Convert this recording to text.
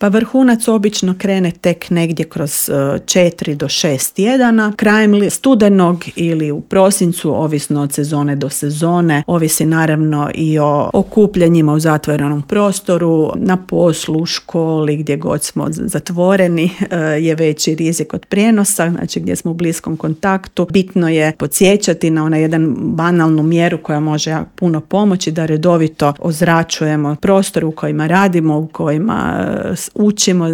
Pa vrhunac obično krene tek negdje kroz 4 do 6 tjedana. Krajem studenog ili u prosincu, ovisno od sezone do sezone, ovisi naravno i o okupljanjima u zatvorenom prostoru, na poslu, u školi, gdje god smo zatvoreni je veći rizik od prijenosa, znači gdje smo u bliskom kontaktu. Bitno je podsjećati na onaj jedan banalnu mjeru koja može puno pomoći, da redovito ozračujemo prostore u kojima radimo, u kojima učimo,